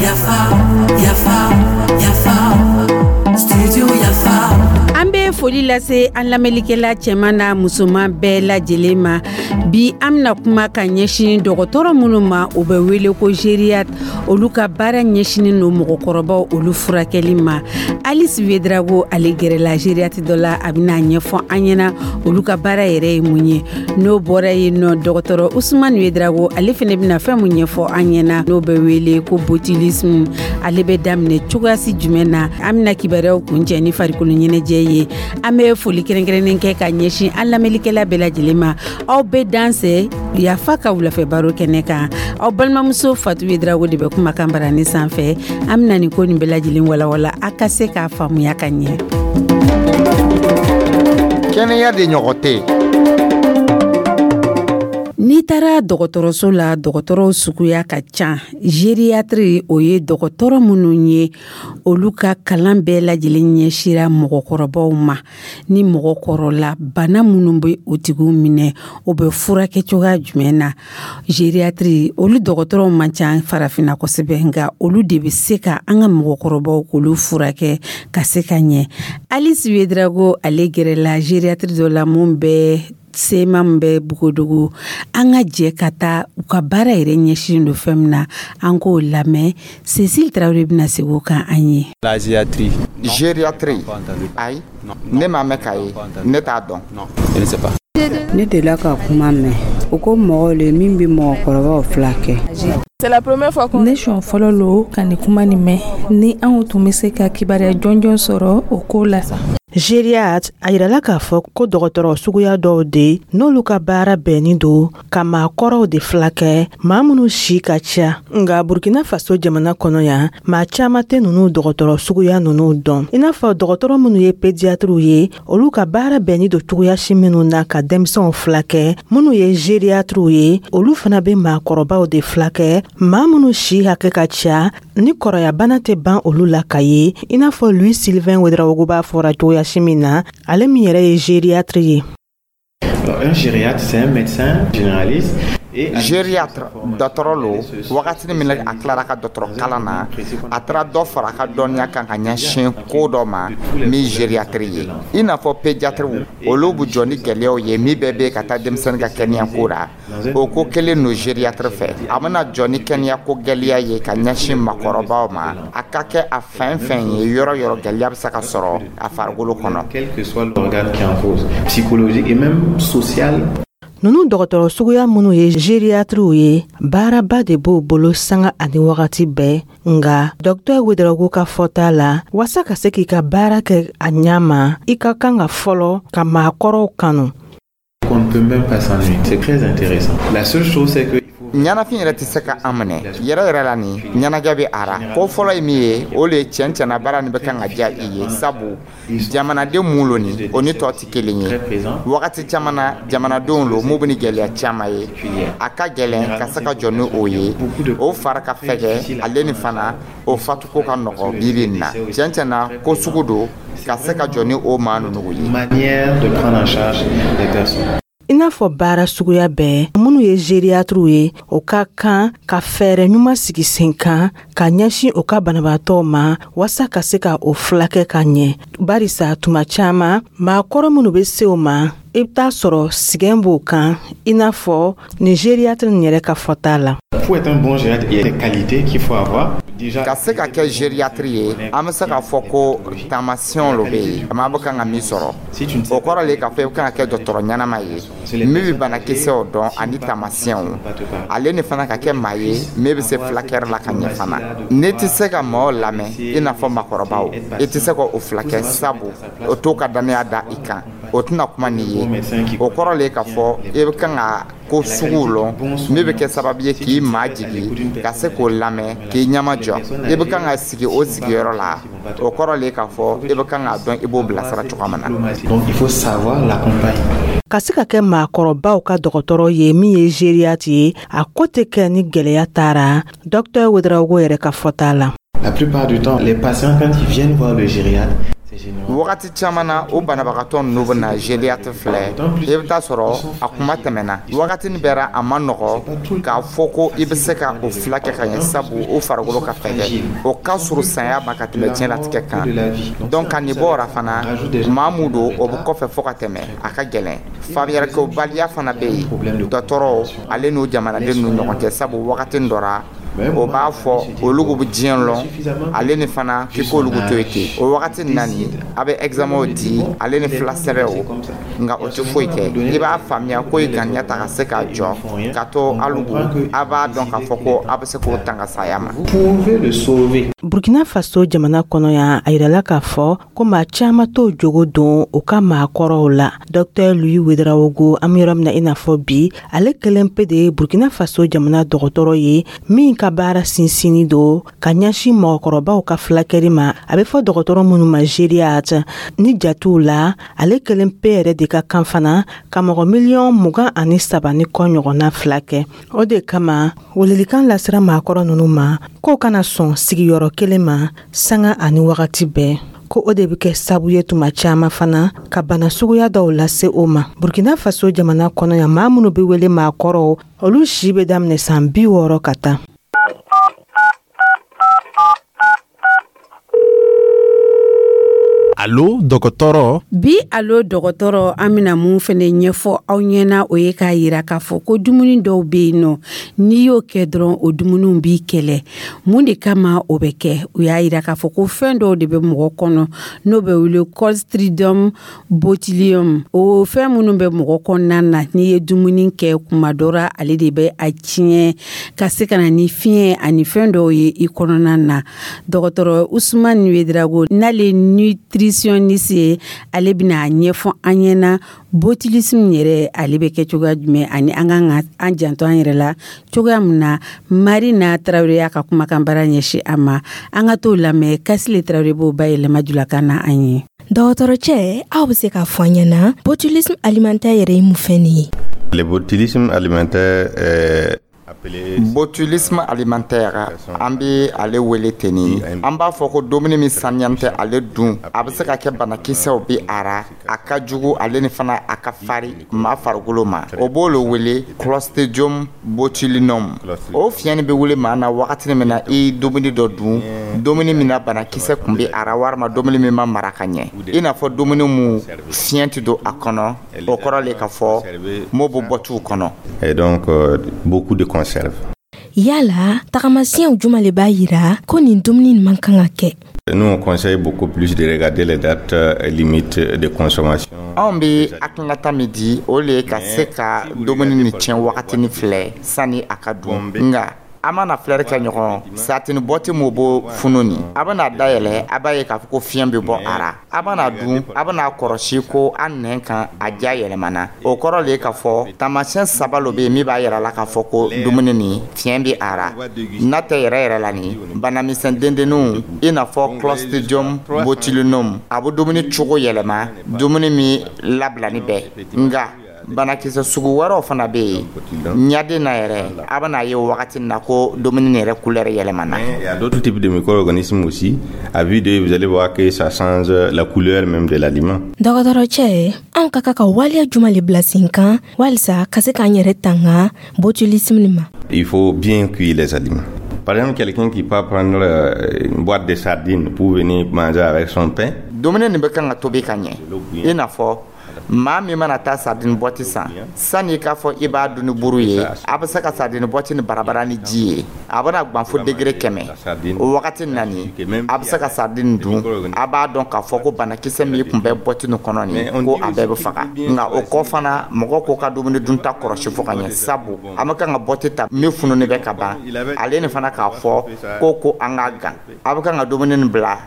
Yafa, yafa, yafa, studio Yafa. An bɛ foli lase an lamɛnlikɛla cɛman n'a musoman bɛɛ lajɛlen ma. Bi, an bɛna kuma ka ɲɛsin dɔgɔtɔrɔ minnu ma, u bɛ wele ko gériatre. Olu ka baara ɲɛsinin don mɔgɔkɔrɔbaw, olu furakɛli ma. Alice Ouédraogo, ale gɛrɛla gériatre dɔ la, a bɛna ɲɛfɔ an ɲɛna olu ka baara yɛrɛ ye mun ye. N'o bɔra yen nɔ, dɔgɔtɔrɔ Ousmane Ouédraogo, ale fana bɛna fɛn mun ɲɛfɔ an ɲɛna, n'o bɛ wele ko botulisme, ale bɛ daminɛ cogoyasi jumɛn na? An bɛna kibaruyaw kuncɛ ni farikolo ɲɛnajɛ ye. An bɛ foli kɛrɛnkɛrɛnnen kɛ ka ɲɛsin an lamɛnlikɛla bɛɛ lajɛlen ma. Aw bɛɛ dansɛ Yafa ka wulafɛ baro kɛnɛ kan. Aw balimamuso Fatou Ouédraogo de bɛ kumakan barani sanfɛ. An bɛna nin ko nin bɛɛ lajɛlen walawala, a ka se k'a faamuya ka ɲɛ. Kɛnɛya de ɲɔgɔn tɛ. N'i taara dɔgɔtɔrɔso la, dɔgɔtɔrɔw suguya ka ca. Gériatre, o ye dɔgɔtɔrɔ minnu ye, olu ka kalan bɛɛ lajɛlen ɲɛsira mɔgɔkɔrɔbaw ma. Ni mɔgɔ kɔrɔla, bana minnu bɛ o tigiw minɛ, o bɛ furakɛ cogoya jumɛn na? Gériatre, olu dɔgɔtɔrɔw man ca Farafinna kosɛbɛ, nka olu de bɛ se ka an ka mɔgɔkɔrɔbaw, k'olu furakɛ ka se ka ɲɛ. Alice Ouédraogo, ale gɛrɛla gériatre dɔ la mun bɛ sema min bɛ Bogodogo. An ka jɛ ka taa u ka baara yɛrɛ ɲɛsin don fɛn min na, an k'o lamɛn. Cécile Tarawele bɛna segin o kan an ye. La gériatrie. Gériatrie, ayi, ne m'a mɛn k'a ye, ne t'a dɔn. Non, je ne sais pas. Ne delila ka kuma mɛn o ko mɔgɔw le min bɛ mɔgɔkɔrɔbaw filakɛ. Ne siɲɛ fɔlɔ lo ka nin kuma nin mɛn. Ni anw tun bɛ se ka kibaruya jɔnjɔn sɔrɔ o ko la sa. Gériatre, a yirala k'a fɔ ko dɔgɔtɔrɔ suguya dɔw de, n'olu ka baara bɛnnin don ka maakɔrɔw de filakɛ, maa minnu si ka ca. Nga Burkina Faso jamana kɔnɔ yan, maa caaman tɛ nunu dɔgɔtɔrɔ suguya nunu dɔn, i n'a fɔ dɔgɔtɔrɔ minnu ye pédiatrew ye, olu ka baara bɛnnin don cogoyasi minnu na ka denmisɛnw filakɛ. Minnu ye gériatrew ye, olu fana bɛ maakɔrɔbaw de filakɛ, maa minnu si hakɛ ka ca, ni kɔrɔyabana tɛ ban olu la ka ye, i n'a fɔ Louis Sylvain Ouédraogo b'a fɔra cogoyasi min na, ale min yɛrɛ ye gériatre ye. Un gériatre, c'est un médecin généraliste. Gériatre, dɔtɔrɔ lo. Wagatini min a tilara ka dɔtɔrɔ kalan na, a taara dɔ fara a ka dɔnniya kan ka ɲɛsin ko dɔ ma min gériatrie ye. I n'a fɔ pédiatrew, olu bɛ jɔ ni gɛlɛyaw ye min bɛɛ bɛ ka taa denmisɛnnin ka kɛnɛya ko la, o ko kelen no gériatre fɛ. A bɛna jɔ ni kɛnɛya ko gɛlɛya ye ka ɲɛsin makɔrɔbaw ma, a ka kɛ a fɛn fɛn ye, yɔrɔ yɔrɔ gɛlɛya bɛ se ka sɔrɔ a farikolo kɔnɔ. Quel que soit l'organe qui est en cause, psychologique et même social. Nunu dɔgɔtɔrɔ suguya minnu ye gériatrew ye, baaraba de b'o bolo sanga ani wagati bɛɛ. Nga dɔktɛr Ouédraogo ka fɔta la, waasa ka se k'i ka baara kɛ a ɲa ma, i ka kan ka fɔlɔ ka maakɔrɔw kanu. On ne peut même pas s'ennuyer. C'est très intéressant. La seule chose, c'est que Ɲɛnafin yɛrɛ tɛ se ka an minɛ yɛrɛ yɛrɛ la. Ni ɲɛnajɛ bɛ a ra, ko fɔlɔ ye min ye, o le ye tiɲɛ tiɲɛna baara nin bɛ kan ka diya i ye, sabu jamanaden mun lo nin, o ni tɔ tɛ kelen ye. Wagati caman na, jamanadenw lo mun bɛ ni gɛlɛya caman ye, a ka gɛlɛn ka se ka jɔ ni o ye. O fara ka fɛgɛ, ale ni fana o fatuko ka nɔgɔ. Bi bi in na, tiɲɛ tiɲɛna, ko sugu don ka se ka jɔ ni o maa ninnu ye. Manière de prendre en charge les personnes. I n'a fɔ baara suguya bɛɛ, minnu ye gériatrew ye, o ka kan ka fɛɛrɛ ɲuman sigi sen kan ka ɲɛsin o ka banabaatɔw ma, waasa ka se ka o filakɛ ka ɲɛ, barisa tuma caaman, maakɔrɔ minnu be se o ma, i be t'a sɔrɔ sigɛn b'o kan, i n'a fɔ ni gériatre nin yɛrɛ ka fɔta la. Pour être un bon gériatre, il y a des qualités qu'il faut avoir. Déjà, Ka se ka kɛ gériatre ye, an bɛ se k'a fɔ ko taamasiyɛnw lo bɛ yen maa bɛ kan ka min sɔrɔ. O kɔrɔ le k'a fɔ i bɛ kan ka kɛ dɔgɔtɔrɔ ɲɛnama ye min bɛ banakisɛw dɔn ani taamasiyɛnw, ale ni fana ka kɛ maa ye min bɛ se fulakɛri la ka ɲɛ fana. N'i tɛ se ka maaw lamɛn, i n'a fɔ maakɔrɔbaw, i tɛ se ka o fulakɛ, sabu o t'o ka danaya da i kan, o tɛna kuma n'i ye. O kɔrɔ le k'a fɔ i bɛ kan ka ko suguw lɔn min bɛ kɛ sababu ye k'i maa jigi ka se k'o lamɛn, k'i ɲɛma jɔ. I bɛ kan ka sigi o sigiyɔrɔ la, o kɔrɔ le k'a fɔ i bɛ kan k'a dɔn i b'o bilasira cogoya min na. Donc il faut savoir l'accompagner. Ka se ka kɛ maakɔrɔbaw ka dɔgɔtɔrɔ ye min ye gériatre ye, a ko tɛ kɛ ni gwɛlɛya taara, dɔktɛr Ouédraogo yɛrɛ ka fɔta la. La plupart du temps, les patients, quand ils viennent voir le gériatre, Wagati caman na, o banabagatɔ ninnu bɛ na gériatre filɛ, i bɛ taa sɔrɔ a kuma tɛmɛna wagati nin bɛɛ, a ma nɔgɔ k'a fɔ ko i bɛ se ka o filakɛ ka ɲɛ, sabu o farikolo ka fɛgɛ, o ka surun saya ma ka tɛmɛ diɲɛlatigɛ kan. Donc ka nin bɔ o la fana, maa mun don, o bɛ kɔfɛ fo ka tɛmɛ, a ka gɛlɛn. Faamuyalikɛbaliya fana bɛ yen dɔgɔtɔrɔw ale n'o jamanaden ninnu ɲɔgɔn cɛ, sabu wagati dɔ ra, o b'a fɔ olu bɛ diɲɛ lɔn, ale ni fana k'i k'olu to yen ten. O wagati nani, a bɛ examen di ale ni fila sɛbɛn o, nka o tɛ foyi kɛ. I b'a faamuya ko i ŋaniya ta ka se k'a jɔ ka to alugu, a b'a dɔn k'a fɔ ko a bɛ se k'o tanga saya ma. Burkina Faso jamana kɔnɔ yan, a yirala k'a fɔ ko maa caman t'o jogo don u ka maakɔrɔw la. Dr Louis Ouédraogo, an bɛ yɔrɔ min na i n'a fɔ bi, ale kelen pe de ye Burkina Faso jamana dɔgɔtɔrɔ ye min ka baara sinsinni don ka ɲɛsin mɔgɔkɔrɔbaw ka fulakɛli ma, a bɛ fɔ dɔgɔtɔrɔ minnu ma gériatre. Ni jatiw la, ale kelen pe yɛrɛ de ka kan fana ka mɔgɔ miliyɔn 23 ni kɔ ɲɔgɔnna filakɛ. O de kama, welelikan lasera maakɔrɔ ninnu ma k'o kana sɔn sigiyɔrɔ kelen ma sanga ani wagati bɛɛ, ko o de bɛ kɛ sabu ye tuma caman fana ka bana suguya dɔw lase o ma. Burkina Faso jamana kɔnɔ yan, maa minnu bɛ wele maakɔrɔw, olu si bɛ daminɛ san 60 ka taa. Alo dɔgɔtɔrɔ. Bi Alo dɔgɔtɔrɔ, an bɛna mun fɛnɛ ɲɛfɔ aw ɲɛna, o ye k'a yira k'a fɔ ko dumuni dɔw bɛ yen nɔ, n'i y'o kɛ dɔrɔn, o dumuniw b'i kɛlɛ. Mun de kama o bɛ kɛ? U y'a yira k'a fɔ ko fɛn dɔw de bɛ mɔgɔ kɔnɔ n'o bɛ wele Clostridium botulinum. O fɛn minnu bɛ mɔgɔ kɔnɔna na, n'i ye dumuni kɛ kuma dɔ la, ale de bɛ a tiɲɛ ka se ka na ni fiɲɛ ani fɛn dɔw ye i kɔnɔna na. Dɔgɔtɔrɔ Usumani Ouédraogo, n'ale nutritionniste ye, ale bɛna a ɲɛfɔ an ɲɛna botulisme yɛrɛ, ale bɛ kɛ cogoya jumɛn ani an kan ka an janto an yɛrɛ la cogoya min na. Marina Tarawele y'a ka kumakan baara ɲɛsin a ma, an ka t'o lamɛn. Kasile Tarawele b'o bayɛlɛma julakan na an ye. Dɔgɔtɔrɔcɛ, aw bɛ se k'a fɔ an ɲɛna botulisme alimentaire yɛrɛ ye mun fɛn de ye? Le botulisme alimentaire est Botulisme alimentaire, an bɛ ale wele ten. An b'a fɔ ko dumuni min saniya tɛ, ale dun, a bɛ se ka kɛ banakisɛw bɛ a ra, a ka jugu, ale ni fana a ka fari maa farikolo ma. O b'o le wele Clostridium botulinum. O fiɲɛ bɛ wele maa na wagati min na i dumuni dɔ dun, dumuni min na banakisɛ tun bɛ a ra, walima dumuni min ma mara ka ɲɛ, i n'a fɔ dumuni mun fiɲɛ tɛ don a kɔnɔ. O kɔrɔ le ka fɔ m'o bɛ bɔ t'u kɔnɔ. Et donc beaucoup de conserves. Yala tagamasiyɛnw juma le b'a yira ko nin dumuni man kan ka kɛ? Nous, on conseille beaucoup plus de regarder les dates limites de consommation. Anw bɛ hakilinata min di, o le ye ka se ka dumuni ni tiɲɛ wagatini filɛ sani a ka dun. Nka an mana filɛri kɛ ɲɔgɔn sardine boîte mun b'o funu nin, a bɛna dayɛlɛ, a b'a ye k'a fɔ ko fiɲɛ bɛ bɔ a ra. A bɛna dun, a bɛna kɔlɔsi ko an nɛn kan a ja yɛlɛmana. O kɔrɔ le ye k'a fɔ taamasiyɛn saba lo bɛ yen min b'a yira la k'a fɔ ko dumuni nin fiɲɛ bɛ a ra. N'a tɛ yɛrɛ yɛrɛ la nin, banamisɛn dendenninw, i n'a fɔ Clostridium botulinum, a bɛ dumuni cogo yɛlɛma, dumuni min labilani bɛ. Nka banakisɛ sugu wɛrɛw fana bɛ yen ɲaden na yɛrɛ, a bɛna ye wagati na ko dumuni yɛrɛ couleur yɛlɛmana. Il y a d'autres types de micro-organismes aussi. À vue d'œil, vous allez voir que ça change la couleur même de l'aliment. Dɔgɔtɔrɔcɛ, anw ka kan ka waleya juma le bila sen kan walisa ka se k'an yɛrɛ tanga botulisme nin ma? Il faut bien cuire les aliments. Par exemple, quelqu'un qui peut prendre une boîte de sardines pour venir manger avec son pain. Dumuni nin bɛ kan ka tobi ka ɲɛ, i n'a fɔ maa min mana taa sardine boîte san, sani i k'a fɔ i b'a dun ni buru ye, a bɛ se ka sardine boîte ni barabara ni ji ye, a bɛna gan fo degré 100. O wagati nani, a bɛ se ka sardine dun, a b'a dɔn k'a fɔ ko banakisɛ min tun bɛ boîte nin kɔnɔ nin, ko a bɛɛ bɛ faga. Nka o kɔ fana, mɔgɔ k'o ka dumuni dunta kɔlɔsi fo ka ɲɛ, sabu an bɛ kan ka boîte ta min fununen bɛ ka ban, ale ni fana k'a fɔ ko an k'a gan, a bɛ kan ka dumuni nin bila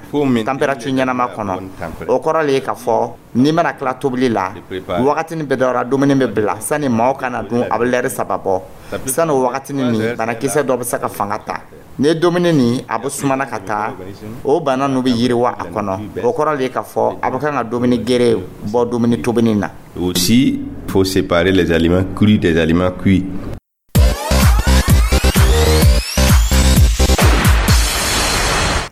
température ɲɛnama kɔnɔ. O kɔrɔ le ye k'a fɔ n'i mana tila tobili la, wagatini bɛɛ dɔra, dumuni bɛ bila sani maaw kana dun, a bɛ lɛri 3 bɔ. Sani o wagatini nin, banakisɛ dɔ bɛ se ka fanga ta. Ni dumuni nin a bɛ sumana ka taa, o bana ninnu bɛ yiriwa a kɔnɔ. O kɔrɔ le ye k'a fɔ a bɛ kan ka dumuni gere bɔ dumuni tobili na. Aussi, il faut séparer les aliments crus des aliments cuits.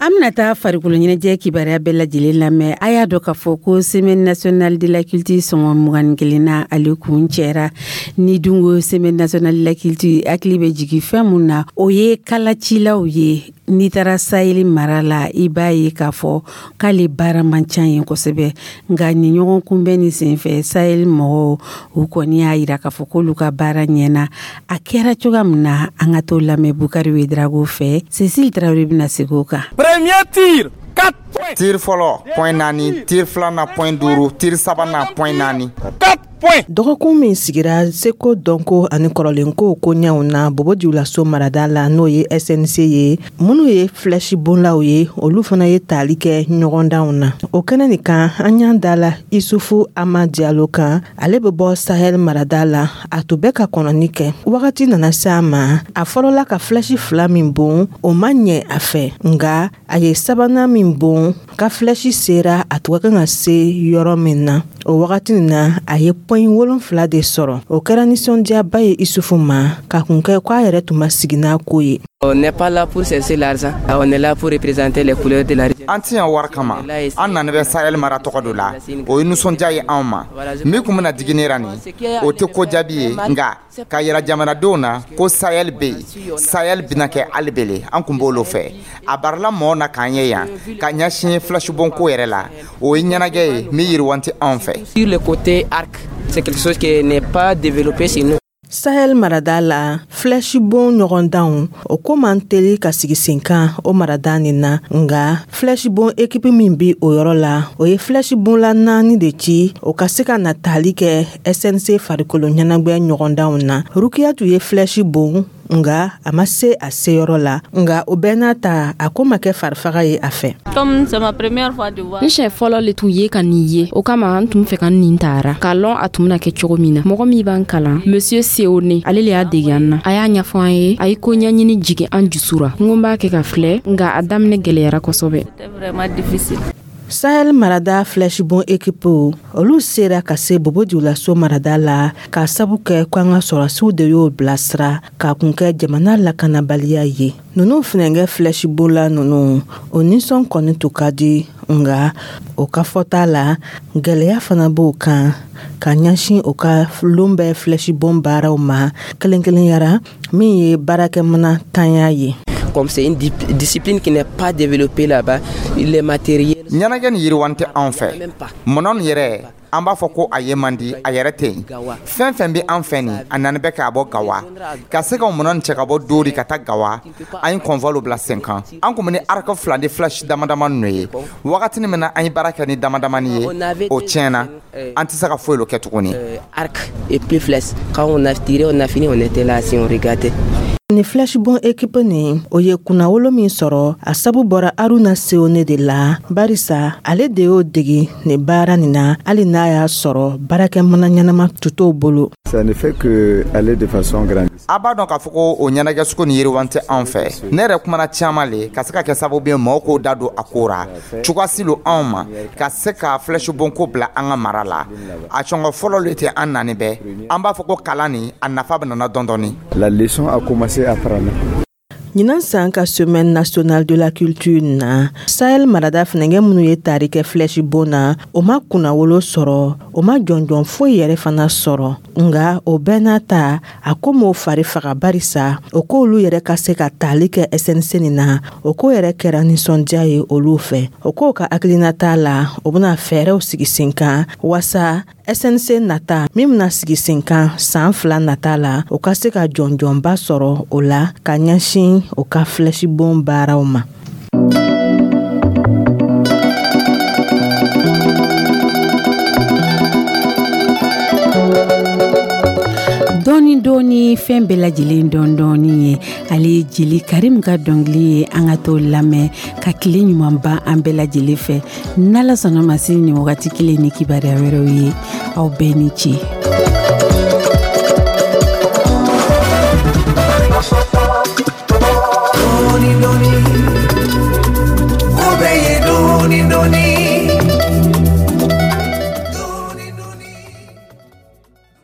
An bɛna An bɛna taa farikolo ɲɛnajɛ kibaruya bɛɛ lajɛlen lamɛn. A y'a dɔn k'a fɔ ko Semaine nationale de la culture sɔngɔ 21nan, ale kun cɛra. Ni dun ko Semaine nationale de la culture, hakili bɛ jigin fɛn mun na, o ye kalacilaw ye. N'i taara Sahel mara la, i b'a ye k'a fɔ k'ale baara man ca yen kosɛbɛ. Nka nin ɲɔgɔn kunbɛn ni senfɛ, Sahel mɔgɔw, u kɔni y'a yira k'a fɔ k'olu ka baara ɲɛna. A kɛra cogoya min na, an ka t'o lamɛn Bukari Wedrago fɛ. Cécile Tarawele bɛna segin o kan. Premier tir, 4 points. Tir fɔlɔ, point 4. Tir filanan, point 5. Tir sabanan, point 4. 4 points. Dɔgɔkun min sigira seko, dɔnko ani kɔrɔlenkow koɲɛw na Bobo Dioulasso marada la, n'o ye SNC ye, minnu ye flèche bonlaw ye, olu fana ye tali kɛ ɲɔgɔndanw na. O kɛnɛ nin kan, an y'an da la Isufu Ama Diallo kan. Ale bɛ bɔ Sahel marada la. A tun bɛ ka kɔnɔni kɛ. Wagati nana se a ma, a fɔlɔla ka flèche fila min bon, o ma ɲɛ a fɛ, nga a ye sabanan min bon, ka flèche sera a tun ka kan ka se yɔrɔ min na. O wagati nin na, a ye point 7 de sɔrɔ. O kɛra nisɔndiyaba ye Isufu ma, ka kun kɛ ko a yɛrɛ tun ma sigi n'a ko ye. On n'est pas là pour chercher l'argent, on est là pour représenter les couleurs de la région. An ti yan wari kama, an nani bɛ Sahel mara tɔgɔ do la. O ye nisɔndiya ye anw ma. Min kun bɛna digi ne ra nin, o tɛ ko jaabi ye, nka ka yira jamanadenw na ko Sahel bɛ yen, Sahel bɛna kɛ hali bele, an kun b'olu fɛ. A barila mɔgɔw na k'an ye yan ka ɲɛsin flèche ko yɛrɛ la. O ye ɲɛnajɛ ye min yiriwan tɛ anw fɛ. Sur le côté arc, c'est quelque chose qui n'est pas développé chez nous. Sahel marada la, flèche bon ɲɔgɔndanw, o ko man teli ka sigi sen kan o marada nin na. Nga flèche bon équipe min bi o yɔrɔ la, o ye flèche bonla naani de ci, o ka se ka na tali kɛ SNC farikolo ɲɛnagwɛ ɲɔgɔndanw na. Rukiyatu ye flèche bon, nga a ma se a seyɔrɔ la. Nga o bɛɛ n'a ta, a ko ma kɛ farifaga ye a fɛ. N siɲɛ fɔlɔ le tun ye ka nin ye. O kama n tun fɛ ka nin tara k'a lɔn a tun bɛna kɛ cogo min na. Mɔgɔ min b'an kalan, Monsieur Seone, ale le y'a dege an na. A y'a ɲɛfɔ an ye, a ye ko ɲɛɲini jigin an jusu ra. N ko n b'a kɛ ka filɛ, nga a daminɛ gwɛlɛyara kosɛbɛ. Sahel marada flèche bon équipe, olu sera ka se Bobo Dioulasso marada la k'a sabu kɛ ko an ka sɔrɔsiw de y'o bilasira, k'a kun kɛ jamana lakanabaliya ye. Ninnu funɛnkɛ flèche bonla ninnu, o nisɔn kɔni tun ka di, nga o ka fɔta la, gwɛlɛya fana b'o kan ka ɲɛsin o ka lon bɛɛ flèche bon baaraw ma, kelen kelenyara min ye baarakɛmina tanya ye. Comme c'est une discipline qui n'est pas développée là-bas, les matériels. Ɲɛnajɛ ni yiriwan tɛ anw fɛ. Mɔnɔ nin yɛrɛ, an b'a fɔ ko a ye man di, a yɛrɛ tɛ yen. Fɛn fɛn bɛ an fɛ nin, a nani bɛ k'a bɔ Gawa. Ka se ka mɔnɔ nin cɛ ka bɔ Dori ka taa Gawa, an ye convoi bila sen kan. An kun bɛ ni arc fila ni flèche dama dama ninnu ye. Wagatinin min na an ye baara kɛ ni dama damani ye, o tiɲɛna, an tɛ se ka foyi kɛ tuguni. Arc et puis flèche. Quand on a tiré, on a fini, on était là si on regardait. Ni flèche bon équipe nin, o ye kunnawolo min sɔrɔ, a sabu bɔra Aruna Seone de la, barisa ale de y'o degi nin baara nin na, hali n'a y'a sɔrɔ baarakɛmana ɲɛnama tu t'o bolo. Ça ne fait que aller de façon grandissante. A b'a dɔn k'a fɔ ko o ɲɛnajɛ sugu ni yiriwan tɛ anw fɛ. Ne yɛrɛ kumana caman le ka se ka kɛ sababu ye mɔgɔw k'o da don a ko ra. Cogoya si lo anw ma ka se ka flèche bon ko bila an ka mara la. A sɔngɔ fɔlɔ le tɛ an nani bɛɛ. An b'a fɔ ko kalan nin, a nafa bɛ nana dɔɔni dɔɔni. La leçon a commencé à prendre. Ɲinan san ka Semaine nationale de la culture na, Sahel marada funɛnkɛ minnu ye tari kɛ flèche bon na, o ma kunnawolo sɔrɔ, o ma jɔnjɔn foyi yɛrɛ fana sɔrɔ. Nga o bɛɛ n'a ta, a ko m'o fari faga, barisa o k'olu yɛrɛ ka se ka tali kɛ SNC nin na, o ko yɛrɛ kɛra nisɔndiya ye olu fɛ. O k'o ka hakilinata la, o bɛna fɛɛrɛw sigi sen kan wasa SNC nata min bɛna sigi sen kan san 2 nata la, o ka se ka jɔnjɔnba sɔrɔ o la ka ɲɛsin o ka flèche bon baaraw ma. Dɔɔni dɔɔni, fɛn bɛɛ lajɛlen dɔɔni dɔɔni ye. Ale ye Jeli Karim ka dɔnkili ye. An ka t'o lamɛn ka tile ɲuman ban an bɛɛ lajɛlen fɛ. N'Ala sɔnna ma, sini ni wagati kelen ni kibaruya wɛrɛw ye. Aw bɛɛ ni ce.